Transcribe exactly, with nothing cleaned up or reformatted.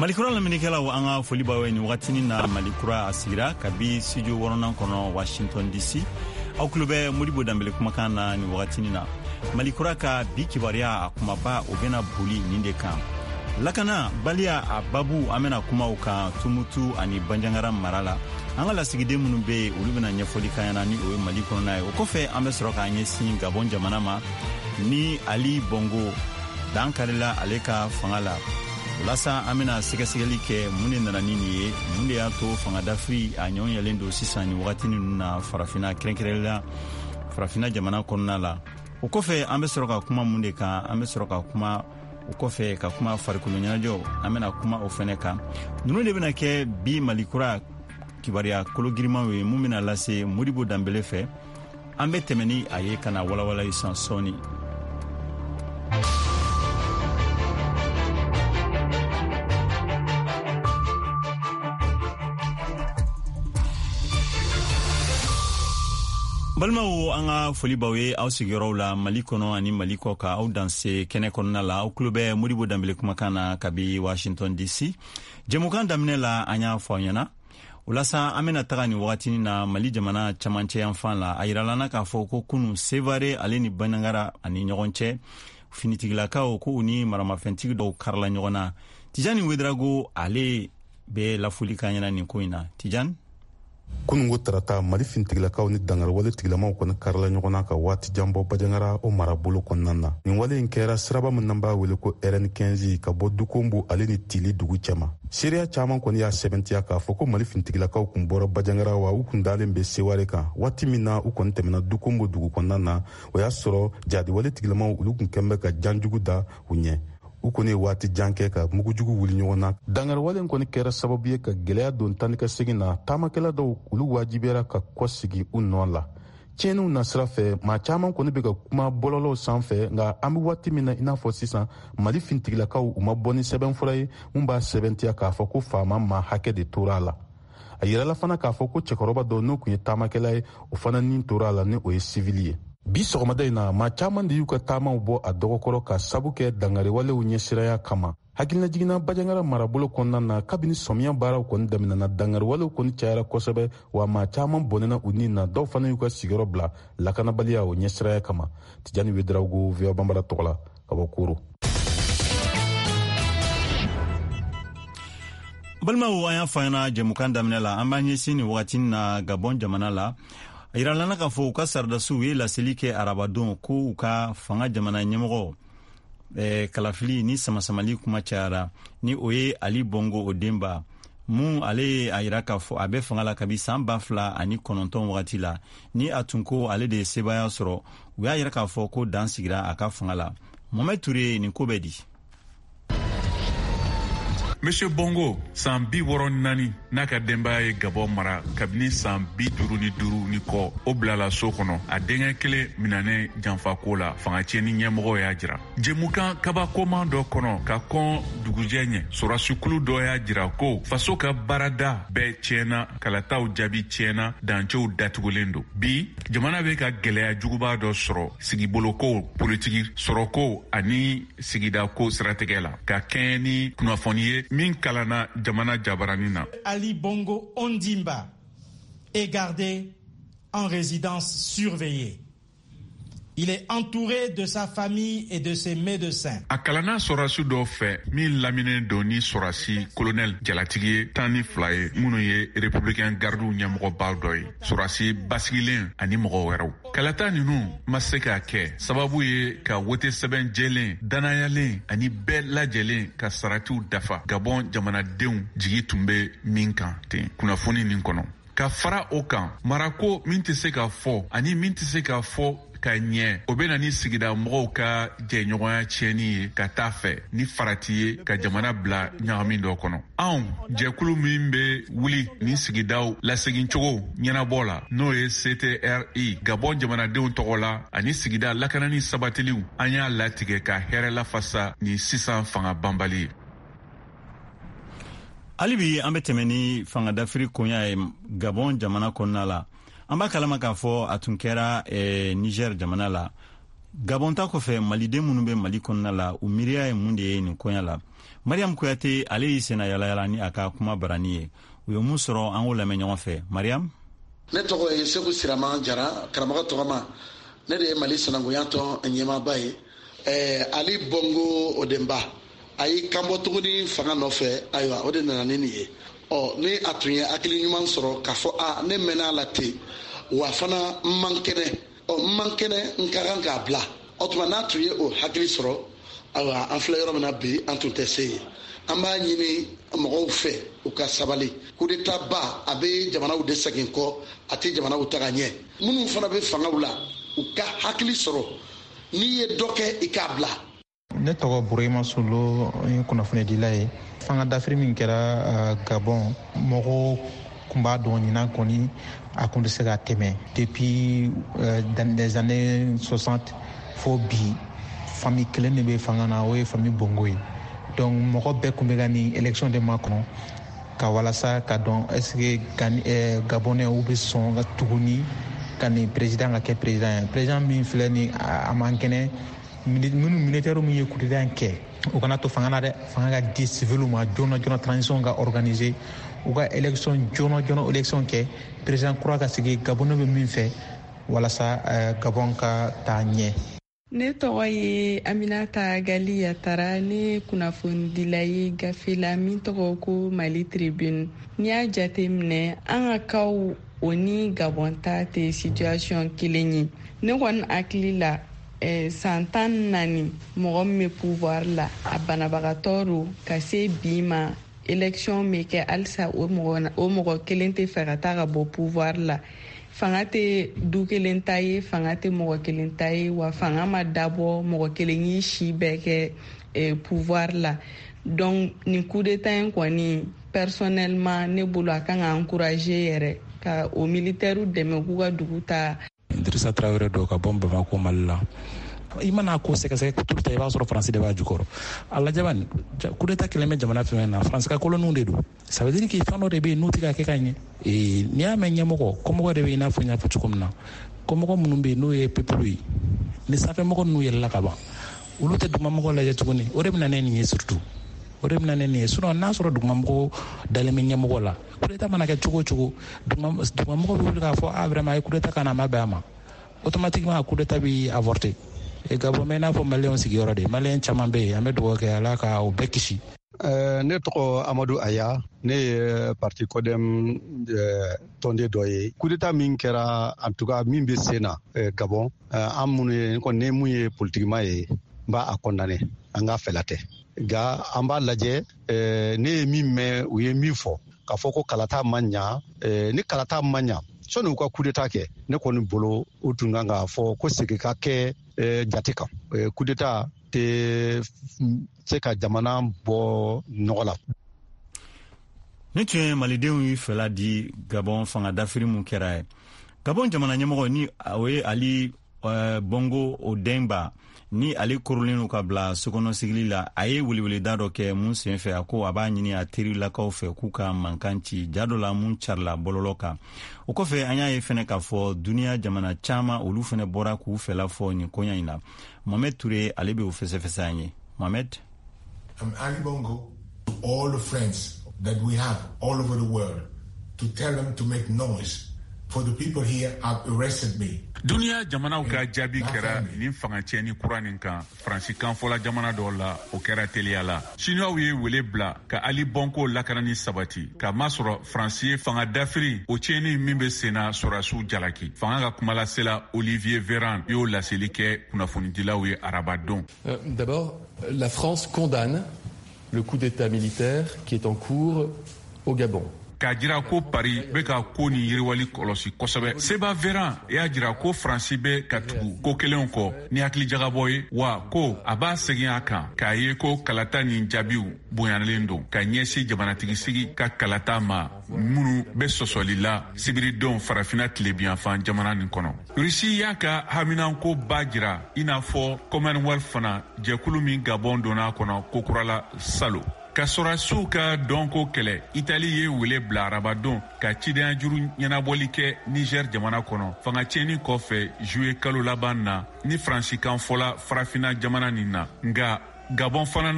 Malikura lamɛnnikɛlaw, an ka foli b'aw ye nin wagatinin na. Malikura a sigira kabi studio wɔɔrɔnan kɔnɔ Washington D C. Aw tulo bɛ Modibo Danbele kumakan na nin wagatinin na. Malikura ka bi kibaruya a kumaba, o bɛna boli nin de kan: lakana baliya a babu. An bɛna kuma o kan Tumutu ani Banjagara mara la. An ka lasigiden minnu bɛ yen, olu bɛna ɲɛfɔli k'an ɲɛna, ni o ye Mali kɔnɔna ye. O kɔfɛ, an bɛ sɔrɔ k'an ɲɛsin Gabon jamana ma, ni Ali Bongo dan karila ale ka fanga la. O la sa, an bɛna sɛgɛsɛgɛli kɛ mun de nana ni nin ye, mun de y'a to fanga dafiri a ɲɔgɔn yɛlen don sisan nin wagati ninnu na Farafinna, kɛrɛnkɛrɛnnenya Farafinna jamana kɔnɔna la. O kɔfɛ, an bɛ sɔrɔ ka kuma mun de kan? An bɛ sɔrɔ ka kuma o kɔfɛ ka kuma farikolo ɲɛnajɛw, an bɛna kuma o fɛnɛ kan. Ninnu de bɛna kɛ bi Malikura kibaruya kologirimanw ye, mun bɛna lase Modibo Danbele fɛ. An bɛ tɛmɛ ni a ye ka na walawala sisan sɔɔni. Balimaw, an ka foli b'aw ye aw sigiyɔrɔw la Mali kɔnɔ ani Mali kɔ ka aw danse kɛnɛ kɔnɔna la. Aw tulo bɛ Modibo Danbele kumakan na kabi Washington D C. Jɛmukan daminɛ la, an y'a fɔ aw ɲɛna. O la sa, an bɛna taga nin wagatinin na Mali jamana camancɛ yanfan la. A yirala na k'a fɔ ko kunu, Sevare ale ni Banjagara ani ɲɔgɔn cɛ, finitigilakaw ko u ni maramafɛntigi dɔw karila ɲɔgɔn na. Tijani Wedrago, ale bɛ lafuli k'an ɲɛna nin ko in na. Tijani. Kunungo tarata, Mali finitigilakaw ni dangariwale tigilamaw kɔni karila ɲɔgɔn na ka waati jan bɔ Banjagara o marabolo kɔnɔna na. Nin wale in kɛra siraba min n'an b'a wele ko R N quinze, ka bɔ Dukombo ale ni Tili dugu cɛma. Seereya caman kɔni y'a sɛbɛntiya k'a fɔ ko Mali finitigilakaw kun bɔra Banjagara, wa u kun dalen bɛ Seware kan. Waati min na u kɔni tɛmɛna Dukombo dugu kɔnɔna na, o y'a sɔrɔ jadiwale tigilamaw olu kun kɛn bɛ ka janjugu da u ɲɛ. U kɔni ye waati jan kɛ ka mugujugu wuli ɲɔgɔn na. Dangariwale kɔni kɛra sababu ye ka gwɛlɛya don tan ni ka segin na. Taamakɛla dɔw olu wajibiyara ka kɔsegi u nɔ la. Tiɲɛniw nasira fɛ, maa caman kɔni bɛ ka kuma bɔlɔlɔw sanfɛ, nka an bɛ waati min na i n'a fɔ sisan, Mali finitigilakaw u ma bɔ ni sɛbɛnfura ye mun b'a sɛbɛntiya k'a fɔ ko faama maa hakɛ de tora a la. A yirala fana k'a fɔ ko cɛkɔrɔba dɔ, n'o tun ye taamakɛla ye, o fana nin tora a la, ni o ye sivili ye. Bi sɔgɔmada in na, maa caman de y'u ka taamaw bɔ a dɔgɔkɔrɔ ka sabu kɛ dangariwalew ɲɛsiraya kama. Hakilinajiginna Banjagara marabolo kɔnɔna na, kabini sɔmiya baaraw kɔni daminɛna, dangariwalew kɔni cayara kosɛbɛ, wa maa caman bɔnɛna u ni na, dɔw fana y'u ka sigiyɔrɔ bila lakanabaliya o ɲɛsiraya kama. Tijani Wedrago, V O A Banbara tɔgɔ la, ka bɔ Koro. Balimaw, an y'a fɔ an ɲɛna jɛmukan daminɛ la, an b'an ɲɛsin nin wagati na Gabɔn jamana la. A yirala k'a fɔ u ka saradasiw ye laseli kɛ arabadon ko u ka fanga jamana ɲɛmɔgɔ eh, kalafili ni samasamali kuma cayara, ni o ye Ali Bongo Ondimba mun. Ale ye a yira k'a fɔ a bɛ fanga la kabi san ba fila ani kɔnɔntɔn wagati la, ni a tun ko ale de ye sebaaya sɔrɔ. U y'a yira k'a fɔ ko dan sigira a ka fanga la. Mohamed Ture, nin ko bɛ di? Monsieur Bongo, san bi wɔɔrɔ naani, n'a ka denbaya ye Gabɔn mara kabini san bi duuru ni duuru ni kɔ, o bilala so kɔnɔ, a denkɛ kelen minanen janfako la, fanga tiɲɛni ɲɛmɔgɔ y'a jira. Jɛmukan kabakoman dɔ kɔnɔ ka kɔn dugujɛ ɲɛ, sɔrɔdasikulu dɔ y'a jira ko faso ka baarada bɛɛ tiɲɛna, kalataw jaabi tiɲɛna, dancɛw datugulen don. Bi, jamana bɛ ka gwɛlɛya juguba dɔ sɔrɔ sigiboloko, politiki, sɔrɔko ani sigidako siratigɛ la, ka kɛɲɛ ni kunnafoni ye min kalanna jamana jabarani na. Ali Bongo Ondimba est gardé en résidence surveillée. Il est entouré de sa famille et de ses médecins. A kalanna sɔrɔdasi dɔw fɛ min laminen don ni sɔrɔdasi kolonɛl jalatigi ye tan ni fila ye, minnu ye Républicain Gardiw ɲɛmɔgɔbaw dɔ ye, sɔrɔdasi basigilen ani mɔgɔ wɛrɛw. Kalata ninnu ma se ka kɛ sababu ye ka wote sɛbɛn jɛlen, danayalen ani bɛɛ lajɛlen ka saratiw dafa, Gabɔn jamanadenw jigi tun bɛ min kan ten kunnafoni nin kɔnɔ. Ka fara o kan, marako min tɛ se ka fɔ ani min tɛ se ka fɔ ka ɲɛ, o bɛ na ni sigida mɔgɔw ka jɛɲɔgɔnya tiɲɛni ye ka taa fɛ, ni farati ye ka jamana bila ɲagami dɔ kɔnɔ. Anw jɛkulu min bɛ wuli ni sigidaw lasegincogo ɲɛnabɔ la, n'o ye C T R I, Gabɔn jamanadenw tɔgɔ la ani sigida lakanani sabatiliw, an y'a latigɛ ka hɛrɛ lafasa ni sisan fanga banbali ye. Hali bi, an bɛ tɛmɛ ni fangadafiri koɲa ye Gabɔn jamana kɔnɔna la. An b'a kalama k'a fɔ a tun kɛra eh, Niger jamana la. Gabon ta kɔfɛ, maliden minnu bɛ Mali kɔnɔna la, u miiriya ye mun de ye nin koɲa la? Mariam Kuyate, ale y'i senna yalayala ni a ka kuma barani ye. U ye mun sɔrɔ, an k'o lamɛn ɲɔgɔn fɛ. Mariam. Ne tɔgɔ ye Segu Sirama Jara, karamɔgɔ tɔgɔma. Ne de ye Mali sinankunya tɔn ɲɛmaaba ye. ɛɛ Ali Bongo Ondimba, a y'i kanbɔ tuguni fanga nɔfɛ. Ayiwa, o de nana ni nin ye. Ɔ, ni a tun ye hakili ɲuman sɔrɔ k'a fɔ a ne mɛnna a la ten, wa fana n man kɛnɛ, ɔ, n man kɛnɛ, n ka kan k'a bila. O tuma, n'a tun ye o hakili sɔrɔ, ayiwa, an filɛ yɔrɔ min na bi, an tun tɛ se yen. An b'a ɲini mɔgɔw fɛ, u ka sabali. Coup d'état ba, a bɛ jamanaw de segin kɔ, a tɛ jamanaw taga ɲɛ. Minnu fana bɛ fangaw la, u ka hakili sɔrɔ, n'i ye dɔ kɛ, i k'a bila. Ne tɔgɔ Burema Solo, n ye kunnafonidila ye. Fanga dafiri min kɛra Gabon, mɔgɔw kun b'a dɔn ɲinan kɔni a kun tɛ se ka tɛmɛ. Depuis dans les années soixante fo bi, famille kelen de bɛ fanga na, o ye famille Bongo ye. Donc mɔgɔ bɛɛ kun bɛ ka nin élection de makɔnɔ ka walasa ka dɔn est ce que Gabonais u bɛ sɔn ka tuguni ka nin président ka kɛ président ye. Président min filɛ nin, a man kɛnɛ. Minnu militaire min ye coup d'état kɛ, u kana to fanga na dɛ. Fanga ka di civil ma joona joona, transition ka organiser, u ka élection joona joona, élection kɛ, président kura ka sigi. Gabonais bɛ min fɛ walasa Gabon ka taa ɲɛ. Ne tɔgɔ ye Aminata Gali Yatara. Ne kunnafonidila ye gafe la min tɔgɔ ko Mali Tribune. N'i y'a jate minɛ, an ka kaw o ni Gabon ta tɛ situation kelen ye. Ne kɔni hakili la, eh, san tan naani mɔgɔ min bɛ pouvoir la, a banabagatɔ don ka se bi ma. Élection bɛ kɛ halisa, o mɔgɔ o mɔgɔ kelen tɛ fɛ ka taa ka bɔ pouvoir la. Fanga tɛ du kelen ta ye, fanga tɛ mɔgɔ kelen ta ye, wa fanga ma dabɔ mɔgɔ kelen y'i si bɛɛ kɛ eh, pouvoir la. Donc nin coup d'état in kɔni, personnellement ne bolo, a kan ka encourager yɛrɛ ka o militaire dɛmɛ k'u ka dugu ta. Dirisa Tarawele dɔ ka bɔ Bamako, Mali la. I mana ko sɛgɛsɛgɛ tout ta, i b'a sɔrɔ Faransi de b'a jukɔrɔ. A lajɛ bani, coup d'état kɛlen bɛ jamana fɛn na, Faransi ka koloniw de don. Ça veut dire que fɛn dɔ de bɛ yen n'u tɛ ka kɛ ka ɲɛ. N'i y'a mɛn ɲɛmɔgɔ, kɔmɔgɔ de bɛ, i n'a fɔ n y'a fɔ cogo min na, kɔmɔgɔ minnu bɛ yen n'o ye peuple ye, ni sanfɛmɔgɔ ninnu yɛlɛla ka ban, olu tɛ dugumamɔgɔ lajɛ tuguni. O de bɛ na ne nin ye, surtout o de bɛ na ne nin ye. Sinon n'a sɔrɔ dugumamɔgɔ dalen bɛ ɲɛmɔgɔ la, coup d'état mana kɛ cogo o cogo, dugumamɔgɔ bɛ wuli k'a fɔ ah, vraiment, a ye coup d'état ka na, a ma bɛn a ma, automatiquement coup d'état bɛ avorter. E Gabon bɛ i n'a fɔ maliyɛnw sigiyɔrɔ de, maliyɛn caman bɛ yen. An bɛ dugawu kɛ, Ala ka o bɛɛ kisi. Ne tɔgɔ Amadu Aya, ne ye parti CODEM tɔnden dɔ ye. Coup d'état min kɛra, en tout cas min bɛ sen na Gabon, an minnu ye, kɔni ne mun ye politikima ye, n b'a a condamné. An ka fɛla tɛ, nka an b'a lajɛ. Ne ye min mɛn, u ye min fɔ k'a fɔ ko kalata ma ɲa, ni kalata ma ɲa, sɔnni u ka coup d'état kɛ, ne kɔni bolo, u tun kan k'a fɔ ko segin ka kɛ jate kan. Coup d'état tɛ se ka jamana bɔ nɔgɔ la. Ni tun ye malidenw y'u fɛla di Gabon fanga dafiri mun kɛra ye. Gabon jamana ɲɛmɔgɔ, ni o ye Ali Bongo Ondimba, ni ale korolen don ka bila sokɔnɔ sigili la, a ye weleweleda dɔ kɛ mun sen fɛ, a ko a b'a ɲini a terilakaw fɛ k'u ka mankan ci ja dɔ la mun carila bɔlɔlɔ kan. O kɔfɛ, an y'a ye fɛnɛ k'a fɔ duniɲa jamana caaman, olu fɛnɛ bɔra k'u fɛla fɔ nin koɲa in na. Mohamed Toure, ale be o fɛsɛfɛsɛ an ye. Mohamed. I'm Ali Bongo, to all the friends that we have all over the world, to tell them to make noise. For the people here have arrested me. Duniya jamanaw ka jaabi kɛra nin fanga tiɲɛni kura nin kan. Faransi kanfɔla jamana dɔw la, o kɛra teliya la. Siniwaw ye wele bila ka Ali Bongo lakanani sabati, k'a masɔrɔ Faransi ye fanga dafiri o tiɲɛni min be senna sɔrɔdasiw jalaki. Fanga ka kumalasela Olivier Véran y'o laseli kɛ kunnafonidilaw ye arabadon. euh, d'abord, la France condamne le coup d'état militaire qui est en cours au Gabon. K'a jira ko Paris bɛ ka ko ni yiriwali kɔlɔsi kosɛbɛ, Seba Véran y'a jira ko Faransi bɛ ka tugu ko kelenw kɔ ni hakilijagabɔ ye, wa ko a b'a segin a kan k'a ye ko kalata nin jaabiw bonyalen don ka ɲɛsin jamanatigisigi ka kalata ma minnu bɛ sɔsɔli la sibiridon Farafina tilebiyanfan jamana nin kɔnɔ. Rusi y'a ka haminanko ba jira, i n'a fɔ Commonwealth fana, jɛkulu min Gabon donna a kɔnɔ kokura la salo. Ka sɔrɔdasiw ka dɔnko kɛlɛ, Itali ye wele bila arabadon ka cidenyajuru ɲɛnabɔli kɛ Niger jamana kɔnɔ, fanga tiɲɛni kɔfɛ juillet kalo laban na, ni Faransikan fɔla Farafina jamana nin na. Nka Gabon fana na.